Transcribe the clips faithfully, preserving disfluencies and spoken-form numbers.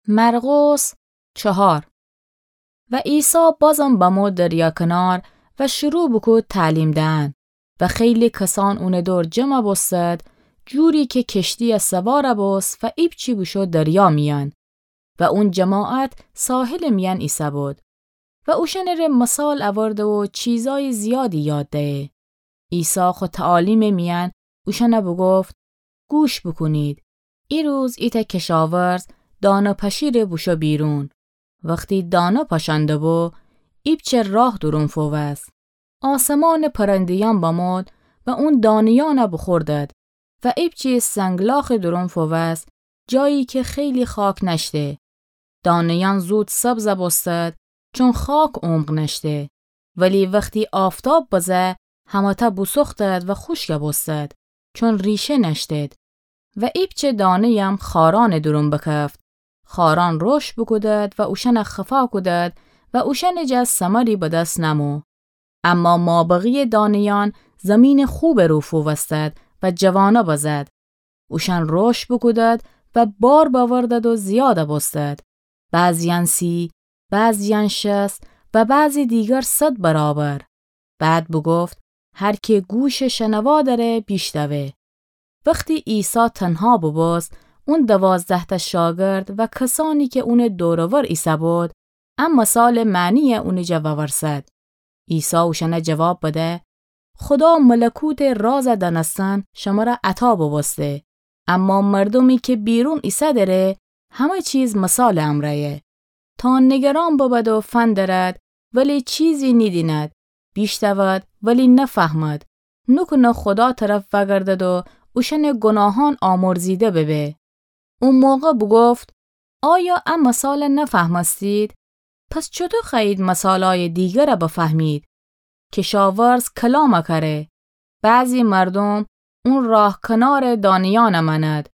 مرقس چهار. و عیسی بازم بمو دریا کنار و شروع بوکود تعلیم دئن. و خیلی کسان اونٚ دور جمع بوستد، جوری که کشتی سوار بوست و ایپچی بوشو دریا میأن. و اون جماعت ساحلٚ میأن ایسه‌بود. و اوشأنٚره مثال اورده و چیزای زیادی یاد دهه. عیسی خو تعالیمٚ میأن اوشأن بوگفت: گوش بوکونید. ایروز ایتأ کشاورز دانه پاشیره بوشو بیرون. وختی دانه پاشأن دوبو، ایپچه راه دورون فووست. آسمانٚ پرنده‌یأن بمود و اون دانه‌یأن بوخوردد و ایپچی سنگلاخٚ دورون فووست، جایی که خیلی خاک نأشته. دانه‌یأن زود سبز بوستد، چون خاک عمق نأشته. ولی وختی آفتاب بزه، همه‌تأ بوسوختد و خوشک بوستد، چون ریشه نأشتد. و ایپچه دانه‌یم خارأنٚ دورون بکفت. خارأن رشد بوکودد و اوشأن خفا کودد و اوشأنٚ جا ثمری به دس نمو. اما مابقی دانه‌یأن زمینٚ خوبٚ رو فووستد و جوانه بزد. اوشأن رشد بوکودد و بار بأوردد و زیاد بوستد. بعضی‌یأن سی، بعضی‌یأن شصت و بعضی دیگر صد برابر. بعد بوگفت: هر که گوشٚ شنوا دأره، بیشنوه. وختی عیسی تنها بوبوست، اون دوازده‌تأ شاگرد و کسأنی که اونٚ دور و ور ایسه‌بود، ا مثالٚ معنی اونٚ جا وورسد. عیسی اوشأن جواب بده: خودا ملکوتٚ راز دأنستن شمر عطا بوبوسته، اما مردومی که بیرون ایسه‌دأره، همه چیز مثالٚ امرأیه. تا نگران ببد و فندرد، ولی چیزی نیدیند، بیشنود، ولی نفهمد، نوکونه خودا طرف وأگردد و اوشأنٚ گناهأن آمرزیده ببه. او موقع بوگفت: آیا ا مثال نفهمستید؟ پس چوطو خوأیید مثالأیٚ دیگر بفهمید؟ کشاورز کلام کأره. بعضی مردوم اون راه کنار دانه‌یأن مأند.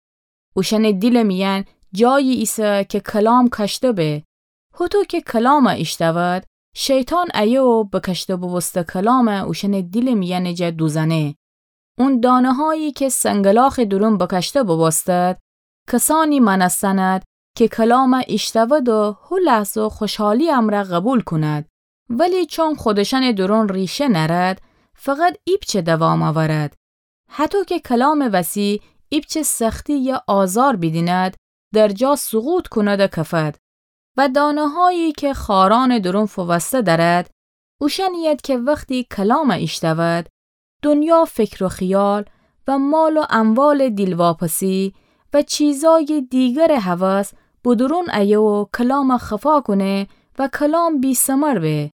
اوشأنٚ دیلٚ میأن جایی ایسه که کلام کشته به. هوطو که کلام ایشنود، شیطان ایه و بکشته بوبوسته کلام اوشأنٚ دیلٚ میأنٚ جا دوزأنه. اون دانه‌هایی که سنگلاخٚ دورون بکشته بوبوستد، کسأنی مأنستند که کلام ایشنود و هو لحظه خوشحالی امرأ قوبیل کند. ولی چون خودشأنٚ دورون ریشه نأرد، فقط ایپچه دوام اورد. هطو که کلامٚ وسی ایپچه سختی یا آزار بیدیند، در جا سقوط کند و کفد. و دانه‌هایی که خارأنٚ دورون فووسته دأرد، اوشأنیید که وختی کلام ایشنود، دنیا فکر و خیال و مال و اموالٚ دیلواپسی و چیزأیٚ دیگرٚ هوس به دورون ایه و کلام خفا کونه و کلام بی‌ثمر به.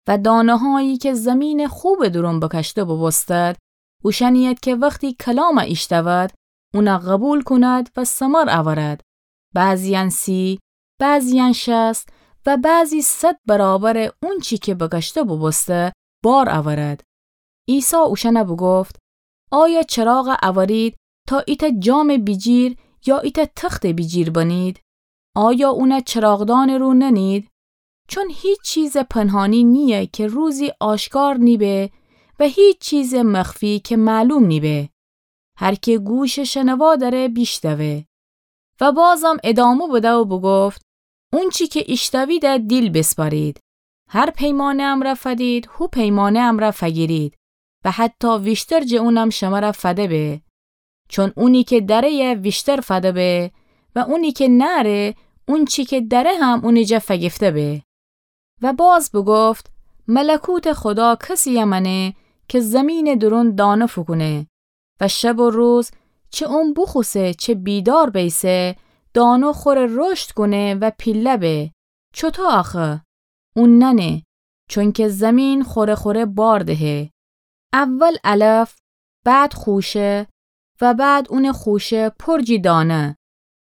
و دانه‌هایی که زمینٚ خوبٚ دورون بکشته بوبوستد، اوشأنیید که وختی کلام ایشنود، اون قوبیل کند و ثمر اورد، بعضی‌یأن سی، بعضی‌یأن شصت و بعضی صد برابر اونچی که بکشته بوبوسته بار اورد. عیسی اوشأن بوگفت: آیا چراغ اورید تا ایتأ جامٚ بیجیر یا ایتأ تختٚ بیجیر بنید؟ آیا اون چراغدانٚ رو ننید؟ چون هیچ چیزٚ پنهانی نییه که روزی آشکار نیبه و هیچ چیزٚ مخفی که معلوم نیبه. هر که گوشٚ شنوا دأره، بیشنوه. و بازم ادامه بده و بوگفت: اونچی که ایشنویده دیل بیسپارید. هر پیمانه امرأ فدید، هو پیمانه امرأ فگیرید و حتی ویشتر جٚه اونم شمر فده به. چون اونی که دأره‌یه ویشتر فده به و اونی که نأره، اونچی که دأره هم اونٚ جا فگیفته به. و باز بوگفت: ملکوتٚ خودا کسی‌یه مأنه که زمینٚ دورون دانه فوکونه و شب و روز چه اون بوخوسه چه بیدار بیسه، دانه خوره رشد کونه و پیله به. چوطو آخه؟ اون نأنه، چونکه زمین خوره خوره بار دهه. اول علف، بعد خوشه و بعد اونٚ خوشه پر جی دانه.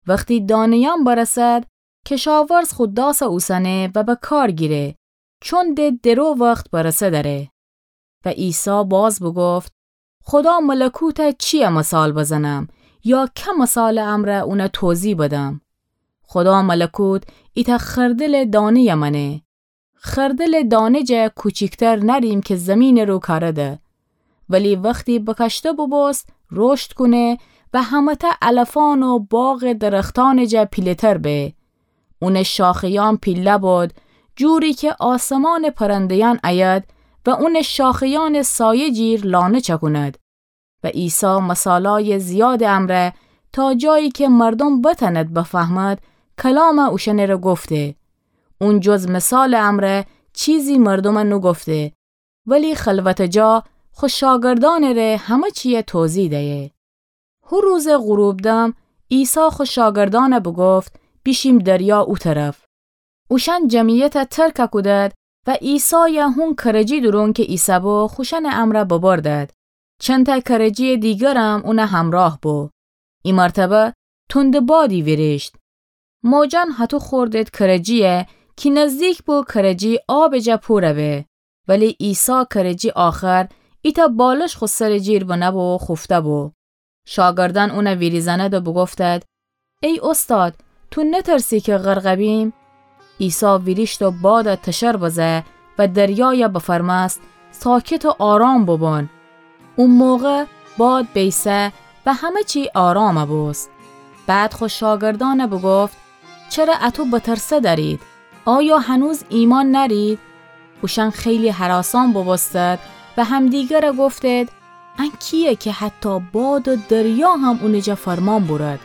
وختی دانه‌یأن برسد، کشاورز خو داس اوسنه و به کار گیره، چون د درو وخت برسه دأره. و عیسی باز بوگفت: خودا ملکوت چییه مثال بزنم؟ یا که مثالٚ امرأ اون توضیح بدم؟ خودا ملکوت ایتأ خردلٚ دانه‌یه مأنه. خردلٚ دانه جا کوچیکتر نأریم که زمینٚ رو کارده. ولی وختی بکشته بوبوست، رشد کونه و همه‌تأ علفأن و باغٚ درختأنٚ جا پیله‌تر به. اونٚ شاخه‌یأن پیله بد، جوری کی آسمانٚ پرنده‌یأن ایید و اونٚ شاخه‌یأنٚ سایه جیر لانه چکوند. و عیسی مثالأیٚ زیادٚ امرأ، تا جایی کی مردوم بتأند بفهمد، کلام اوشأنٚره گفته. اون جز مثالٚ امرأ چیزی مردوم نوگفته، ولی خلوتٚ جا خو شاگردأنٚره همه چیی توضیح دیه. هو روزٚ غروب دم عیسی خو شاگردأن بوگفت: بیشیم دریا او طرف. اوشأن جمعیت ترک کودد و عیسای هون کرجی دورون کی ایسه‌بو خوشأنٚ امرأ ببردد. چندتأ کرجیٚ دیگرم اونٚ همرأه بو. ای مرتبه تندٚ بادی ویریشت. موجأن هطو خوردد کرجیی کی نزدیک بو کرجی آبٚ جا پورَ به. ولی عیسی کرجی آخر ایتأ بالش خو سرٚ جیر بنه بو و خوفته بو. شاگردأن اونَ ویریزأند و بوگفتد: ای اوستاد، تو نترسی کی غرق بیم؟ عیسی ویریشت و بادَ تشر بزه و دریای بفرمأست: ساکت و آرام بوبون. او موقع باد بیسه و همه چی آرام بوست. بعد خو شاگردأن بوگفت: چره اطو بترسه دأرید؟ آیا هنوز ایمأن نأرید؟ اوشأن خیلی هراسان بوبوستد و همدیگر گفتد: ان کییه کی حتی باد و دریا هم اونٚ جا فرمأن بورد؟